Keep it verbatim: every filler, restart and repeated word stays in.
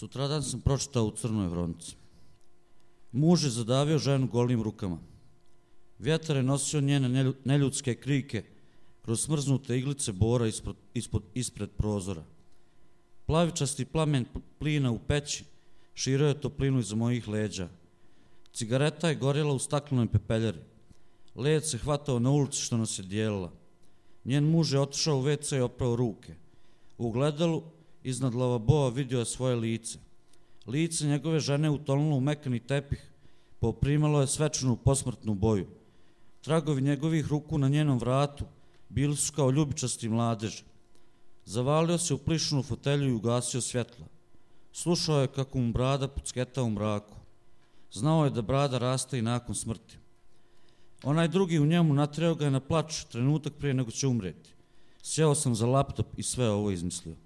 Sutradan sam pročitao u Crnoj Hronici. Muž je zadavio ženu golim rukama. Vjetar je nosio njene neljudske krike kroz smrznute iglice bora ispod, ispod, ispred prozora. Plavičasti plamen plina u peći širio je toplinu iza mojih leđa. Cigareta je gorjela u staklenoj pepeljari. Led se hvatao na ulici što nas je dijelila. Njen muž je otišao u ve ce i oprao ruke. U ogledalu iznad lavabova vidio je svoje lice. Lice njegove žene utonulo u mekani tepih, poprimalo je svečanu posmrtnu boju. Tragovi njegovih ruku na njenom vratu bili su kao ljubičasti mladeži. Zavalio se u plišnu fotelju i ugasio svjetla. Slušao je kako mu brada pucketa u mraku. Znao je da brada raste i nakon smrti. Onaj drugi u njemu natreo ga je na plač trenutak prije nego će umreti. Sjeo sam za laptop i sve ovo izmislio.